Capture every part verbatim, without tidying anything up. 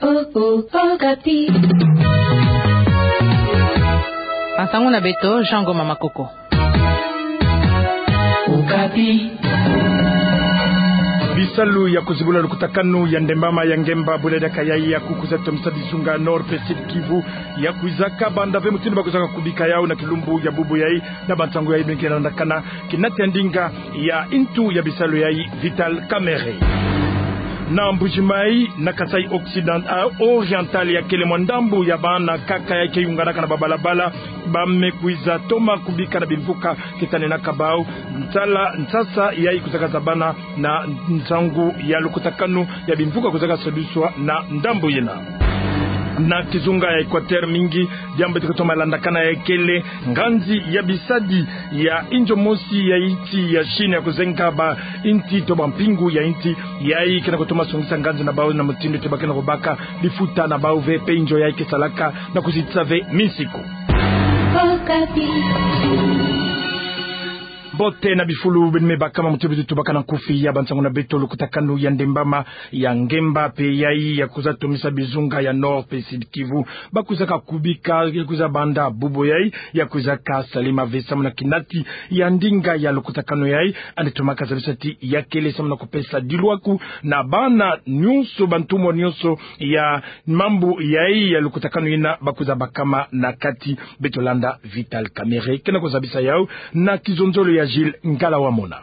Oh, oh, Okapi. Bansangu na beto, Jean Ngoma Makoko. Okapi. Bisalu ya kuzibula lukutakanu ya ndembama ya ngemba bula diaka yayi ya kukwiza tomisa bizunga Nord pe Sud Kivu, ya kwizaka banda ve mutindu ba kwizaka kubika yau na kilumbu ya bubu yayi, na bansangu yayi beno ke landakana kinati ya ndinga ya intu ya bisalu yayi Vital Kamerhe. Na Mbuji-Mayi, na Kasaï Occident-, ah, Oriental, ya kele mwa ndambu ya bana nkaka yayi ke yunganaka na babalabala, ba me kwiza toma kubika na bimvuka ke tanenaka bau, nsala, nsasa yayi kwizaka zabana na nsangu ya lukutakanu ya bimvuka kwizaka sadiswa na ndambu yina. Na kizunga ya Equateur mingi, diambu beto ke toma landakana ya kele nganzi ya bisadi ya inzo mosi ya inti ya Chine ya kuzenga bainti to bampingu ya inti, yayi ke na kutoma songisa nganzi na bau na mutindu ti ba ke na kubaka bifuta na bau ve pe inzo yayi ke salaka na kuzitisa ve minsiku. Mbote na bifulu beno me bakama, mutindu beto tubaka na nkufi ya bansangu na beto, lukutakanu ya ndembama ya ngemba pe yayi ya kwiza tomisa bizunga ya Nord pe Sud Kivu, ba kwizaka kubika, ya kwiza banda bubu yayi, ya kwizaka salema ve samu na kinati ya ndinga ya lukutakanu yayi, yandi tomaka zabisa ti ya kele samu na kupesa dilwaku na bana nyonso, bantumwa nyonso ya mambu yayi ya lukutakanu yina ba kwiza bakama na kati. Beto landa Vital Kamerhe ke na kuzabisa yau na kizonzolo ya Gilles Ngala Wamona.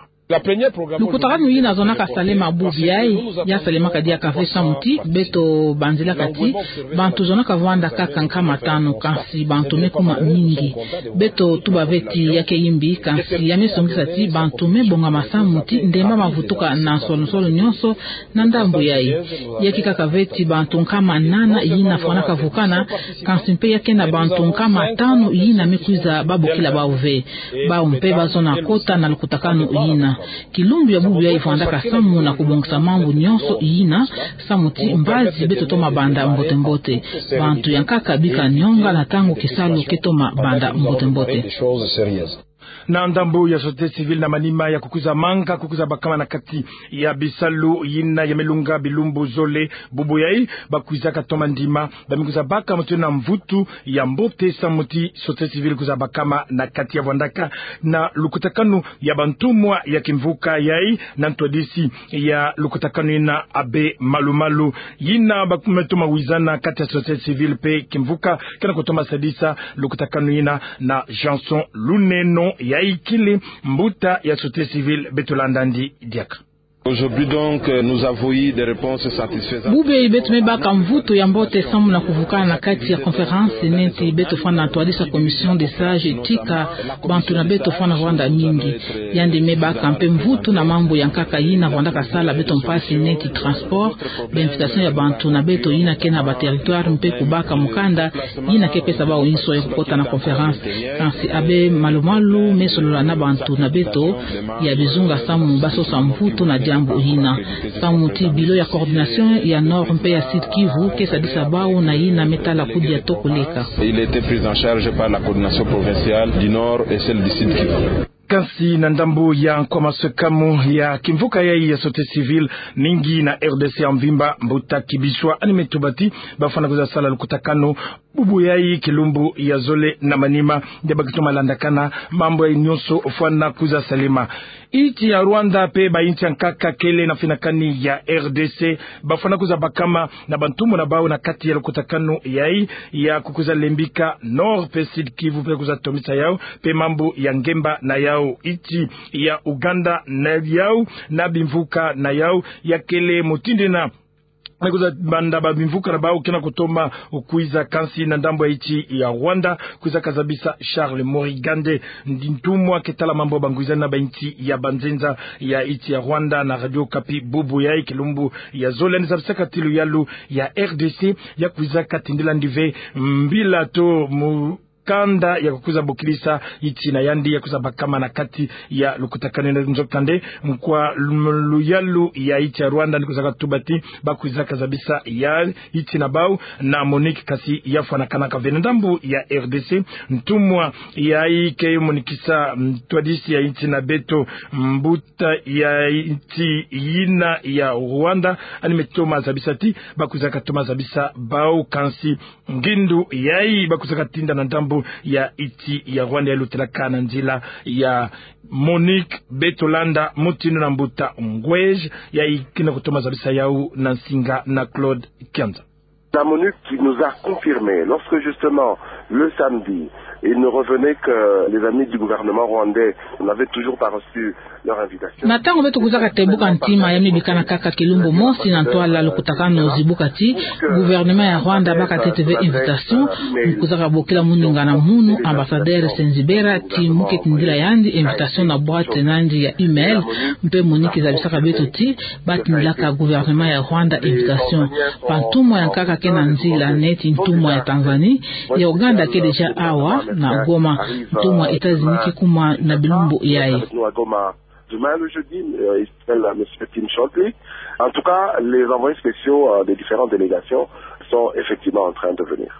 Lukutakanu yina zonaka salema bubu yayi, ya salemaka diaka ve samu ti beto banzilaka ti bantu zonaka vwanda kaka nkama tanu, kansi bantu me kuma mingi. Beto tuba ve ti ya ke yimbi, kansi ya me songisa ti bantu me bongama samu ti ndembama vutuka na nsolo-nsolo nyonso na ndambu yayi. Ya ke kaka ve ti bantu nkama nana yina fwanaka vukana, kansi mpe ya ke na bantu nkama tanu yina me kwiza babokila bau ve. Bau mpe ba zona kota na lukutakanu yina. Kilumbu ya bubu yayi vwandaka samu na kubongisa mambu nyonso yina, samu ti mbazi beto toma banda mbote-mbote. Bantu ya nkaka bika nionga na ntangu kisalu ke toma banda mbote-mbote. Na ndambu ya société civile na manima ya kukwiza manga, kukwiza bakama na kati ya bisalu yina ya me lunga bilumbu zole bubu yayi, ba kwizaka toma ndima, ba me kwiza baka mutindu na mvutu ya mbote samu ti société civile kwiza bakama na kati ya vwandaka na lukutakanu ya bantumwa ya kimvuka yayi, na ntwadisi ya lukutakanu yina Abbé Malu-Malu. Yina ba me toma wizana kati ya société civile pe kimvuka ke na kutoma sadisa lukutakanu yina na Janson Luneno, yayi kele mbuta ya société civile. Beto landa yandi diaka. Aujourd'hui donc, euh, nous avons eu des réponses satisfaisantes. Bubu yayi beto me baka mvutu ya mbote samu na kuvukana na kati ya conférence neti beto fwana na ntwadisi ya commission des sages, tika bantu na beto fwana vwanda mingi. Yandi me baka mpe mvutu na mambu ya nkaka yina vwandaka sala beto mpasi neti transport, ba invitation ya bantu na beto yina ke na ba territoire mpe kubaka mukanda yina ke pesa bau inso ya kukota na conférence. Kansi Abbé Malu-Malu me solola na bantu na beto ya bizunga samu ba sosa mvutu na diambu yina, samu ti bureau ya coordination ya Nord mpe ya Sud Kivu ke sadisa bau na yina me tala kudia toko leka. Il a été pris en charge par la coordination provinciale du Nord et celle du Sud Kivu. Kansi na ndambu ya nkwa maswekamu ya kimvuka yayi ya société civile mingi na R D C ya mvimba, mbuta Kibiswa, yandi me tuba ti ba fwana kwiza sala lukutakanu bubu yayi kilumbu ya zole na manima, nde ba ke toma landakana mambu yayi nyonso fwana kwiza salema. Inti ya Rwanda mpe ba inti ya nkaka kele na finakani ya R D C, ba fwana kwiza bakama na bantumwa na bau na kati ya lukutakanu yayi ya kukwiza lembika Nord mpe Sud Kivu mpe kwiza tomisa yau mpe mambu ya ngemba na yau. Inti ya Uganda na yau na bimvuka na yau, ya kele mutindu yina me kwiza banda ba bimvuka na bau ke na kutoma kwiza. Kansi na ndambu ya inti ya Rwanda, kwiza kazabisa Charles Morigande, ntumwa ke tala mambu ya bangwiza na ba inti ya banzenza ya inti ya Rwanda na Radio Okapi bubu yayi kilumbu ya zole, yandi zabisaka ti luyalu ya R D C ya kwiza katindila yandi ve mbila to mu kanda ya kukwiza bokilisa inti na yandi ya kwiza bakama na kati ya lukutakanu ina. Nzokande, kwa luyalu ya inti ya Rwanda ni kwizaka tuba ti ba kwizaka zabisa ya inti na bau na MONUC, kasi ya fwanakanaka ve. Na ndambu ya R D C, ntumwa yayi ke monikisa ntwadisi ya inti na beto, mbuta ya inti yina ya Rwanda, ani me toma zabisa ti ba kwizaka toma zabisa bau, kansi ngindu yayi ba kwizaka tinda na ndambu ya inti ya Rwanda ya lutilaka na nzila ya MONUC. Beto landa mutindu na mbuta Ngwej yayi ke na kutoma zabisa yau na nsinga na Claude Kianza. La MONUC qui nous a confirmé, lorsque justement, le samedi, il nous revenait que les amis du gouvernement rwandais n'avaient toujours pas reçu leur invitation. Na ntango beto kwizaka tebuka ntima ya mibikana kaka kilumbu mosi na ntwala lukutakanu zibuka ti gouvernement ya Rwanda baka tete ve invitation, mu kwizaka bokila muningana munu ambassadeur Senzibera ti mu ke tindila yandi invitation na boîte na yandi ya email, mpe MONUC zabisaka beto ti ba tindilaka gouvernement ya Rwanda invitation. Bantumwa ya nkaka ke na nzila, neti ntumwa ya Tanzanie, ya Ouganda ke déjà awa na Goma, ntumwa États-Unis ke kuma na bilumbu yayi. Demain, le jeudi, euh, il s'appelle, euh, monsieur Tim Shortley. En tout cas, les envoyés spéciaux, euh, des différentes délégations sont effectivement en train de venir.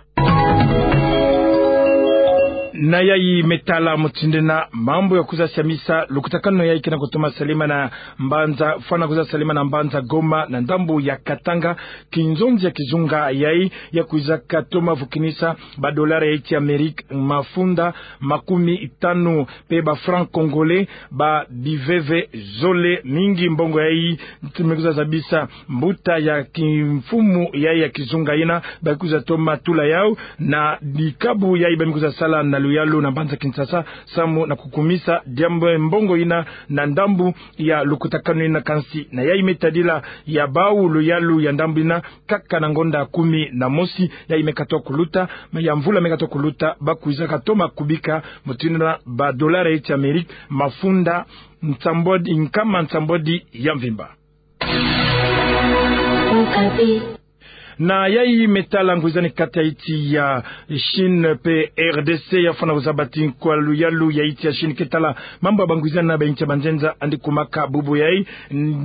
Na yayi me tala mutindu ina mambu ya kwiza siamisa lukutakanu yayi ke na kutoma salama na mbanza, fwana kwiza salama na mbanza Goma na ndambu ya Katanga, kinzonzi ya kizunga yayi ya kwizaka toma vukinisa ba dollar ya inti ya Amérique mafunda makumi tanu, mpe ba francs congolais, ba biveve zole mingi. Mbongo yayi me kwiza zabisa mbuta ya kimfumu yayi ya kizunga ina ba kwiza toma tula yau na dikabu yayi ba me kwiza sala na luyalu na mbanza Kinshasa, samu na kukumisa diambu mbongo ina na ndambu ya lukutakanu ina. Kansi na yayi me tadila ya bau luyalu ya ndambu ina, kaka na ngonda kumi na mosi yayi me katoka kuluta, ya mvula me katoka kuluta, ba kwizaka toma kubika mutindu ina ba dollar ya inti ya Amérique mafunda nsambwadi, nkama nsambwadi ya mvimba. Na yayi me tala ngwizani kati ya inti ya Chine mpe R D C, ya fwana kuzaba ti kwa luyalu ya inti ya Chine ke tala mambu ya bangwizani na ba inti ya banzenza, yandi kumaka bubu yayi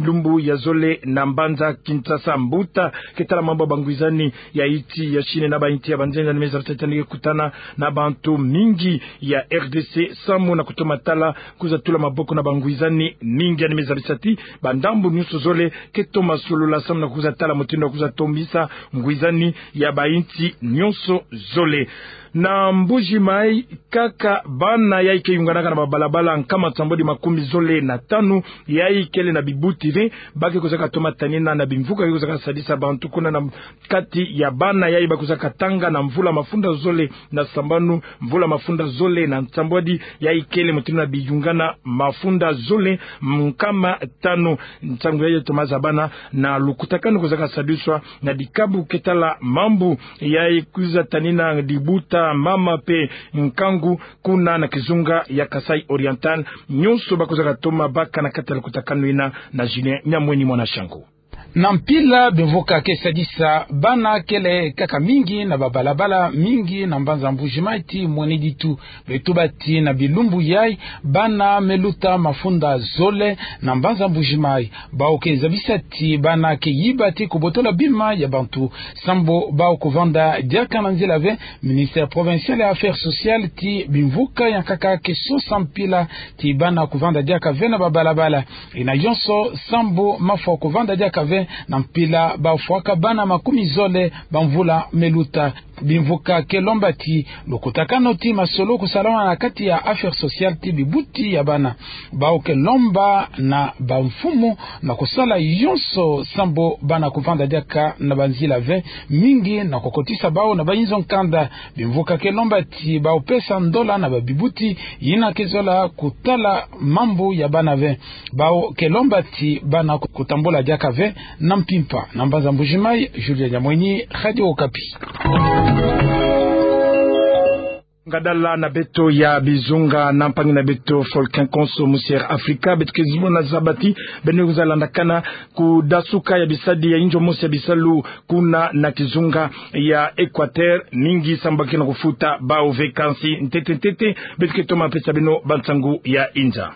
lumbu ya zole na mbanza Kinshasa. Mbuta ke tala mambu ya bangwizani ya inti ya Chine na ba inti ya banzenza ni me zaba ti yandi ke kutana na bantu mingi ya R D C samu na kutoma tala kwiza tula maboko na bangwizani mingi. Yandi me zabisa ti ba ndambu nyonso zole ke toma solola samu na kwiza tala mutindu ya kwiza tombisa ngwizani ya ba inti nyonso zole. Na Mbuji Mayi kaka, bana yayi ke yunganaka na ba balabala nkama nsambwadi makumi zole na tanu yayi kele na bibuti ve, ba ke kwizaka toma tanina na bimvuka ke kwizaka sadisa bantu kuna na kati ya bana yayi ba kwizaka tanga na mvula mafunda zole na sambanu, mvula mafunda zole na nsambwadi yayi kele, mutindu ina biyungana mafunda zole nkama tanu. Nsangu yayi toma zabana na lukutakanu kwizaka sadiswa na dikabu ke tala mambu yayi kwiza tanina dibuta, mama mpe nkangu kuna na kizunga ya Kasaï Oriental. Nyonso ba kwizaka toma baka na kati ya lukutakanu ina na Julien Nyamweni, mwana Shangu. Na mpila bimvuka ke sadisa bana kele kaka mingi na ba balabala mingi na mbanza Mbuji Mayi tii mwene ditu. Beto tuba ti na bilumbu yayi bana me luta mafunda zole na mbanza Mbuji Mayi. Bau ke zabisa ti bana ke yiba tii kubotola bima ya bantu. Sambu bau kuvanda diaka na nzila ve, ministère provincial ya affaires sociales tii bimvuka ya nkaka ke sosa mpila ti bana kuvanda diaka ve na ba balabala. Ina yonso sambu mafwa kuvanda diaka ve na mpila ba fwaka bana makumi zole ba mvula me luta. Bimvuka ke lomba ti lukutakanu ti masolo kusalama na kati ya affaires sociales tii bibuti ya bana. Bau ke lomba na bamfumu na kusala yonso sambu bana kuvanda diaka na banzila ve mingi na kukotisa bau na bayinzo nkanda. Bimvuka ke lomba ti bau pesa ndola na babibuti yina ke zola kutala mambu ya bana ve. Bau ke lomba ti bana kutambula diaka ve na mpimpa. Na mbanza Mbuji Mayi, Julien Nyamweni, Radio Okapi. Ngadala na beto ya bizunga na mpangi na beto Folkin Konso, mosi Air Africa, beto ke zimona zaba ti beno kwiza landakana kudasuka ya bisadi ya inzo mosi ya bisalu kuna na kizunga ya Equateur, mingi samu ba ke na kufuta bau ve. Kansi ntete ntete beto ke toma pesa beno bansangu ya inza.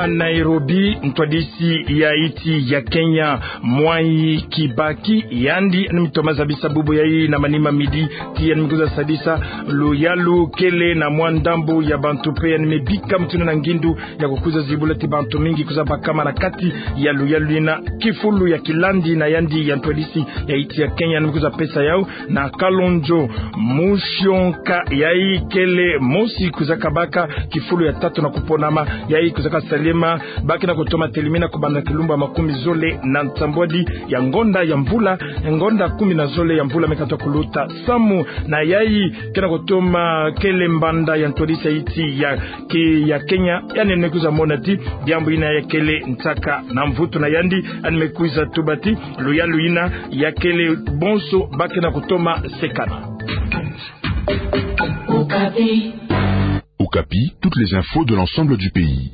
Nairobi, ntwadisi ya insi ya Kenya, Mwai Kibaki, yandi yandi me toma zabisa bubu yayi na manima midi, ti yandi me kwiza sadisa luyalu kele na mwa ndambu ya bantu mpe yandi me bika mutindu na ngindu ya kukwiza zibula ti bantu mingi kwiza bakama na kati ya luyalu yina. Kifulu ya kilandi na yandi ya ntwadisi ya insi ya Kenya yandi me kwiza pesa yau na Kalonzo Musyoka, yayi kele mosi kwizaka baka kifulu ya tatu na kuponama, yayi kwizaka salema ba ke na kutoma telimina kubanda kilumbu ya makumi zole na nsambwadi ya ngonda ya mvula, ngonda kumi na zole ya mvula me kata kuluta, samu na yayi ke na kutoma kele mbanda ya ntwadisi ya insi ya ke ya Kenya, yandi me kwiza mona ti diambu yina ya kele nsaka na mvutu na yandi, yandi me kwiza tuba ti luyalu yina ya kele bonso ba ke na kutoma sekana. Okapi, toutes les infos de l'ensemble du pays.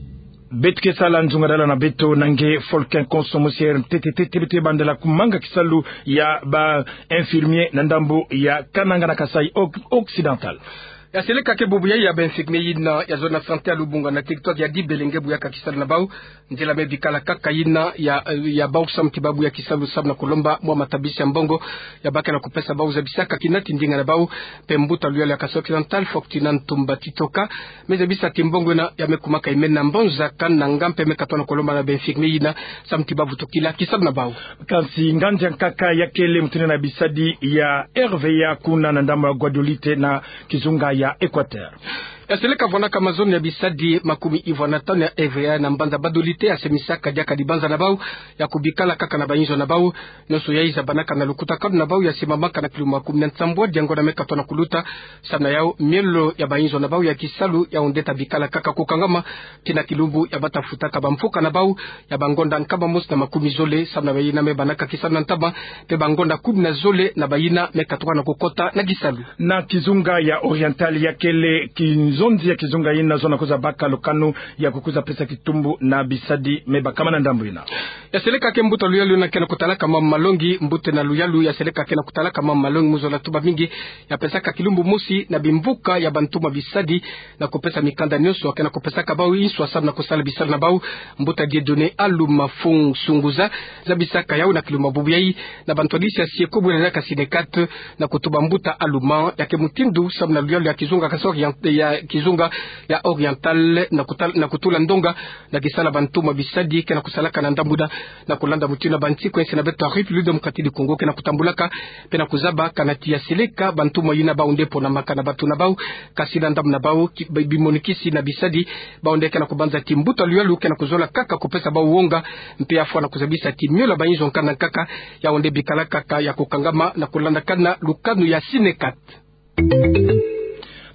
Beto ke sala nzungadala na beto na nge Folkin Konso, mosi Air, ntete ntete beto ke bandela kumanga kisalu ya ba infirmier na ndambu ya Kananga na Kasaï Oc-, Occidental. Ya seleka ke bubu yayi ya ba infirmier yina ya zone ya santé ya Lubunga na territoire ya Dibélé nge buyaka kisalu na bau. Nzila me bikala kaka yina ya, ya bau samu ti ba buya kisalu samu na kulomba mwa matabisi ya mbongo ya ba ke na kupesa bau zabisaka kina ti ndinga na bau. Mpe mbuta luyalu ya Kasaï Occidental, Fortunat Ntumba Titoka, me zabisa ti mbongo yina ya me kumaka imena mbonza kana nga mpe me katoa na kulomba na ba infirmier yina samu ti ba vutukila kisalu na bau. Kansi nganzi ya nkaka ya kele mutindu na bisadi ya R V A kuna na ndambu ya Gbadolite na kizunga ya Equateur. Ya seleka vwanaka mazone ya bisadi makumi ivwa na tanu ya R V A na mbanza Gbadolite ya semisaka diaka dibanza na bau ya kubikala kaka na ba inzo na bau. Nyonso yayi zabanaka na lukutakanu na bau ya simamaka na kilumbu makumi na nsambwadi ya ngonda me katoa na kuluta. Samu na yau, miolo ya ba inzo na bau ya kisalu ya onde ta bikala kaka kukangama tii na kilumbu ya ba ta futaka ba mfuka na bau ya ba ngonda nkama mosi na makumi zole, samu na bayina me banaka kisalu na ntama, mpe ba ngonda kumi na zole na bayina me katuka na kukota na kisalu. Na kizunga ya Oriental ya kele kinzonzi ya kizunga yina zona kwiza baka lukanu ya kukwiza pesa kitumbu na bisadi me bakama na ndambu yina. Ya seleka ke mbuta luyalu yina ke na kutalaka mama malongi, mbuta na luyalu ya seleka ke na kutalaka mama malongi mu zola tuba mingi ya pesaka kilumbu mosi na bimvuka ya bantumwa bisadi na kupesa mikanda nyonso ke na kupesaka bau inswa samu na kusala bisalu na bau. Mbuta Dieudonné Aluma Fung Sunguza zabisaka yau na kilumbu ya bubu yayi na ba ntwadisi ya Sieko bwena na ka Sinekat na kutuba mbuta Aluma ya ke mutindu samu na luyalu ya kizunga Kasaï Orient-, ya kizunga ya Oriental na kutal-, na kutula ndonga na kisala bantumwa bisadi ke na kusalaka na ndambu yina, na kulanda mutindu na ba nsiku ya nsi na beto ya République Démocratique du Congo ke na kutambulaka, mpe na kuzaba kana ti ya seleka bantumwa yina ba onde ponamaka na batu na bau, kasi na ndambu na bau ki-, bi-, bimonikisi na bisadi ba onde ke na kubanza ti mbuta luyalu ke na kuzola kaka kupesa bau wonga, mpe ya fwa na kuzabisa ti miolo ya ba inzo nkanda nkaka ya onde bikala kaka ya kukangama na kulandakana lukanu ya Sinekat.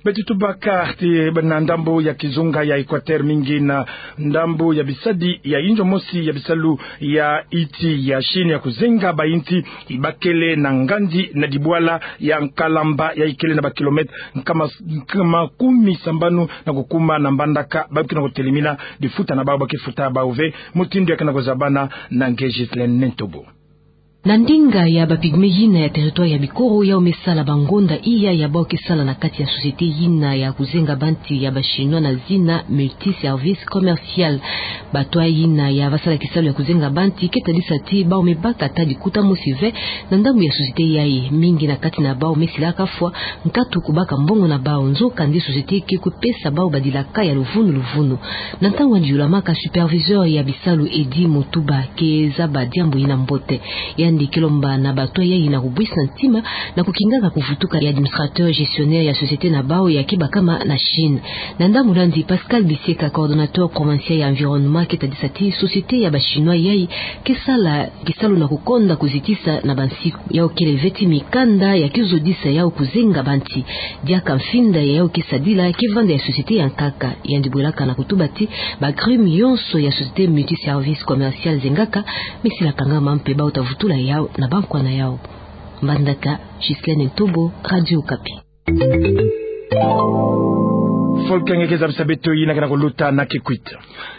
Beto tubaka ti na ndambu ya kizunga ya Equateur mingi na ndambu ya bisadi ya inzo mosi ya bisalu ya insi ya Chine ya kuzenga ba insi, ibakele na nganzi na dibwala ya Nkalamba ya ikele na ba kilomètre nkama, nkama kumi sambanu na kukuma na mbandaka ba ke na kutelimina difuta na bau ba ke futa bau ve. Mutindu ya ke na kuzabana na nge Ghislaine Nentobo. Na ndinga ya ba pygmée yina ya territoire ya Bikoro yau me sala ba ngonda iya ya bau ke sala na kati ya société yina ya kuzenga bansi ya ba Chinois na zina Multiservice Commercial. Bato yina ya ba sala kisalu ya kuzenga bansi ke tadisa ti bau me baka ata likuta mosi ve na ndambu ya société yayi. Mingi na kati na bau me silaka fwa nkatu kubaka mbongo na bau, nzokande société ke kupesa bau badilaka ya luvunu luvunu. Na ntangu yandi yulamaka, superviseur ya bisalu Eddy Mutuba ke zaba diambu yina mbote. Yandi ke lomba na bato yayi na kubwisa ntima na kukingaka kuvutuka ya administrateur gestionnaire ya société na bau ya ke bakama na Chine. Na ndambu landi, Pascal Biseka, coordonnateur provincial ya environnement, ke tadisa ti société ya ba Chinois yayi ke sala kisalu na kukonda kuzitisa na bansiku. Yau kele ve ti mikanda ya ke zodisa yau kuzenga bansi. Diaka mfinda ya yau ke sadila ke vanda ya société ya nkaka. Yandi bwelaka na kutuba ti ba crime yonso ya société Multiservice Commercial zengaka me sila kangama mpe bau ta vutula yau na bankwa na yau. Mbandaka, Ghislaine Ntobo, Radio Okapi. Volcan nge ke zabisa beto yina kena kuluta na Kikwit.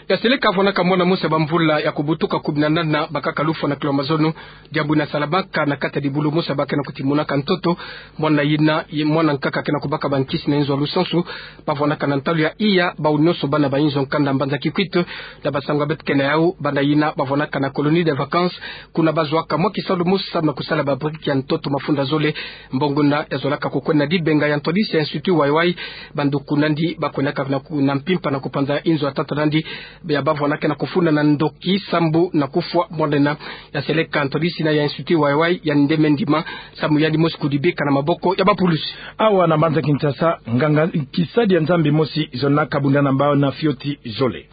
Ya seleka vwanaka mwana mosi ya bamvula ya kubutuka kumi na nana bakaka lufwa na kilo ya mazono, diambu ina salamaka na kati ya dibulu mosi ya bakena kutimunaka ntoto. Mwana yina, ye mwana nkaka kena kubaka bankisi na inzo ya lusansu. Bavwanaka na ntalu ya iya bawu nyonso bana ba inzo nkanda mbanza Kikwit, na basango ya beto kena yawu, bana yina bavwanaka na colonie de vacances, kuna bazwaka mwa kisalu mosi samu na kusala ba briques ya ntoto mafunda zole. Mbongo yina yazolaka kukwenda na dibenga ya ntwadisi ya Institut Wai-Wai. Bandoki nandi bakwendaka na ku-, na mpimpa na kupanza inzo ya tata nandi, ya bavwanaka na kufunda na ndoki sambu na kufwa mwana yina. Ya seleka ntwadisi yina ya Institut Wai-Wai ya ndeme ndima samu yandi mosi kudibika na maboko ya bapulusi. Awa na mbanza Kinshasa, nganga kisadi ya Nzambi mosi zonaka bunda na bana fioti zole.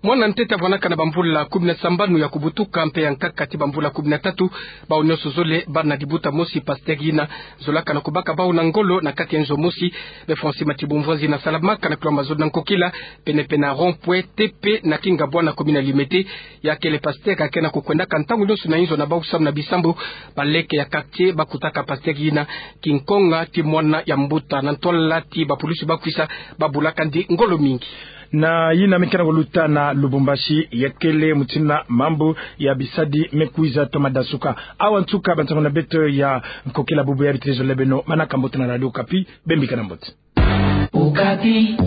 Mwana ntete avwanaka na bamvula kumi na sambanu ya kubutuka mpe ya nkaka ti bamvula kumi na tatu, bawu nyonso zole bana dibuta mosi pasteur yina zolaka na kubaka bawu na ngolo na kati ya nzo mosi. Be Francis Mathibu Mvuanzi ina salamaka na kilo ya mazono na Nkokila, penepene na rond-point T P na Kingabwa na commune ya Limete. Ya kele pasteur kena kukwendaka ntangu nyonso na inzo na bawu samu na bisambu. Baleke ya quartier bakutaka pasteur yina kinkonga ti mwana ya mbuta. Na ntwala ti bapulusi bakwisa, babulaka ndi ngolo mingi. Na yina me kena kuluta na Lubumbashi, ya kele mutindu na mambu ya bisadi me kwiza toma dasuka. Awa nsuka bansangu na beto ya Nkokila bubu ya bitiri zole beno, manaka mbote na Radio Okapi, bembika na mbote. Okapi.